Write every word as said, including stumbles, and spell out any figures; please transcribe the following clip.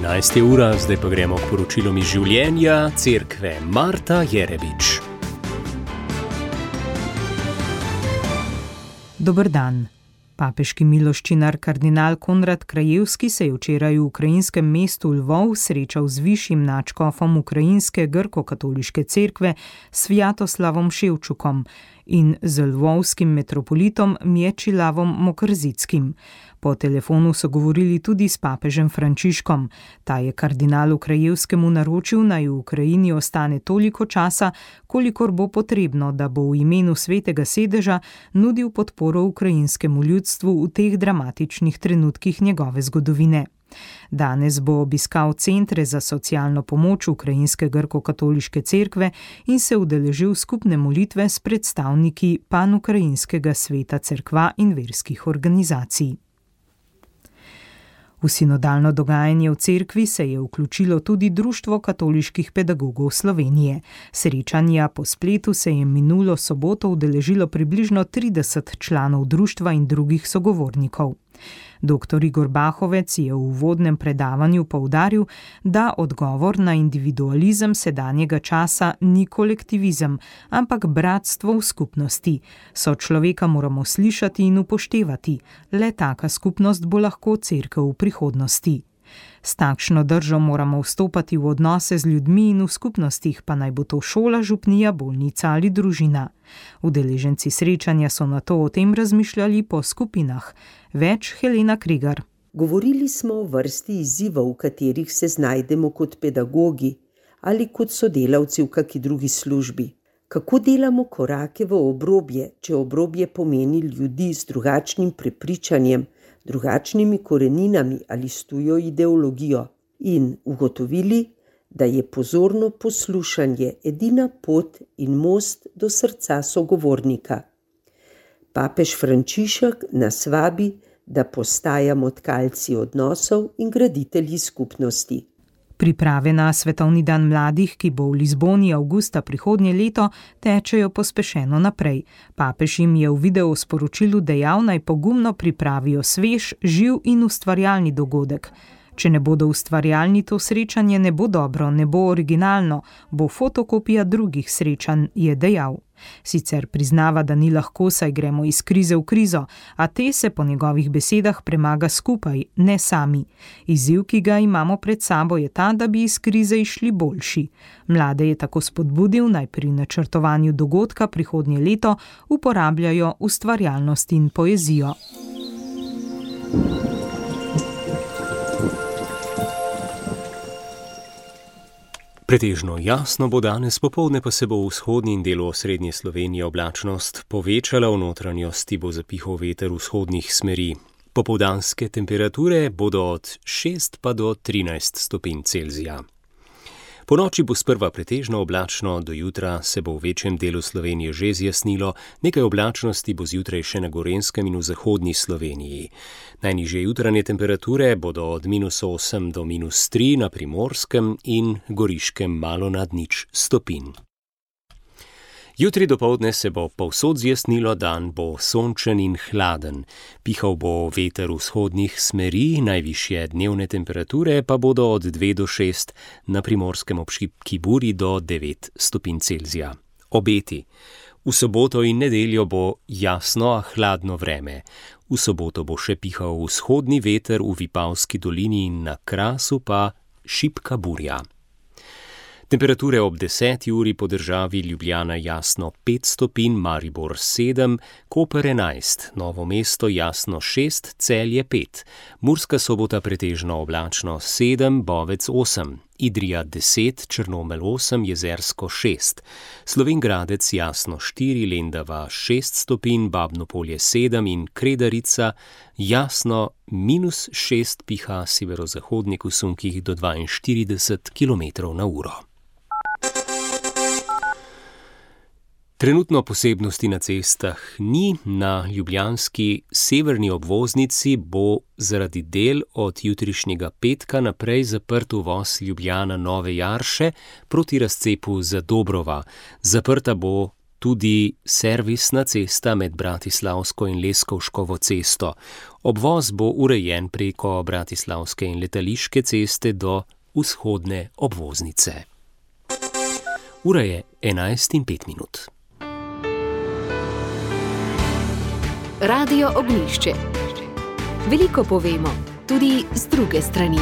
enajsta ura, zdaj pa gremo k poročilom iz življenja cerkve. Marta Jerebič. Dober dan. Papeški miloščinar kardinal Konrad Krajewski se je včeraj v ukrajinskem mestu Lvov srečal z višjim nadškofom ukrajinske grko-katoliške cerkve Svjatoslavom Ševčukom in z lvovskim metropolitom Mječilavom Mokrzyckim. Po telefonu so govorili tudi s papežem Frančiškom. Ta je kardinalu Krajewskemu naročil, naj v Ukrajini ostane toliko časa, kolikor bo potrebno, da bo v imenu svetega sedeža nudil podporo ukrajinskemu ljudstvu v teh dramatičnih trenutkih njegove zgodovine. Danes bo obiskal centre za socialno pomoč ukrajinske grko-katoliške cerkve in se udeležil skupne molitve s predstavniki panukrajinskega sveta cerkva in verskih organizacij. V sinodalno dogajanje v cerkvi se je vključilo tudi Društvo katoliških pedagogov Slovenije. Srečanja po spletu se je minulo soboto udeležilo približno trideset članov društva in drugih sogovornikov. Doktor Igor Bahovec je v uvodnem predavanju poudaril, da odgovor na individualizem sedanjega časa ni kolektivizem, ampak bratstvo v skupnosti. Sočloveka moramo slišati in upoštevati, le taka skupnost bo lahko cerkev v prihodnosti. S takšno držo moramo vstopati v odnose z ljudmi in v skupnostih, pa naj bo to šola, župnija, bolnica ali družina. Udeleženci srečanja so nato o tem razmišljali po skupinah. Več Helena Krigar. Govorili smo o vrsti izzivov, v katerih se znajdemo kot pedagogi ali kot sodelavci v kaki drugi službi. Kako delamo korake v obrobje, če obrobje pomeni ljudi z drugačnim prepričanjem, drugačnimi koreninami ali s tujo ideologijo, in ugotovili, da je pozorno poslušanje edina pot in most do srca sogovornika. Papež Frančišek nas vabi, da postajamo tkalci odnosov in graditelji skupnosti. Priprave na Svetovni dan mladih, ki bo v Lizboni avgusta prihodnje leto, tečejo pospešeno naprej. Papež jim je v videosporočilu dejal, naj pogumno pripravijo svež, živ in ustvarjalni dogodek. Če ne bodo ustvarjalni, to srečanje ne bo dobro, ne bo originalno, bo fotokopija drugih srečanj, je dejal. Sicer priznava, da ni lahko, saj gremo iz krize v krizo, a te se po njegovih besedah premaga skupaj, ne sami. Izziv, ki ga imamo pred sabo, je ta, da bi iz krize išli boljši. Mlade je tako spodbudil, naj pri načrtovanju dogodka prihodnje leto uporabljajo ustvarjalnost in poezijo. Pretežno jasno bo danes, popoldne pa se bo v vzhodni in delu osrednje Slovenije oblačnost povečala, v notranjosti bo zapihal veter vzhodnih smeri. Popoldanske temperature bodo od šest pa do trinajst stopinj Celzija. Po noči bo sprva pretežno oblačno, do jutra se bo v večjem delu Slovenije že zjasnilo, nekaj oblačnosti bo zjutraj še na Gorenjskem in v zahodni Sloveniji. Najnižje jutranje temperature bodo od minus osem do minus tri na Primorskem in Goriškem malo nad nič stopinj. Jutri dopoldne se bo povsod zjasnilo, dan bo sončen in hladen. Pihal bo veter vzhodnih smeri, najvišje dnevne temperature pa bodo od dve do šest, na Primorskem ob šibki buri do devet stopinj Celzija. Obeti. V soboto in nedeljo bo jasno, a hladno vreme. V soboto bo še pihal vzhodni veter v Vipavski dolini in na Krasu pa šibka burja. Temperature ob deseti uri po državi: Ljubljana jasno pet stopinj, Maribor sedem, Koper enajst, Novo mesto jasno šest, Celje pet, Murska Sobota pretežno oblačno sedem, Bovec osem, Idrija deset, Črnomelj osem, Jezersko šest, Slovenj Gradec jasno štiri, Lendava šest stopinj, Babno Polje sedem in Kredarica jasno minus šest, piha severozahodnik v sunkih do dvainštirideset kilometrov na uro. Trenutno posebnosti na cestah ni. Na ljubljanski severni obvoznici bo zaradi del od jutrišnjega petka naprej zaprt uvoz Ljubljana Nove Jarše proti razcepu Zadobrova. Zaprta bo tudi servisna cesta med Bratislavsko in Leskovškovo cesto. Obvoz bo urejen preko Bratislavske in Letališke ceste do vzhodne obvoznice. Ura je enajst in pet minut. Radio Ognjišče. Veliko povemo, tudi z druge strani.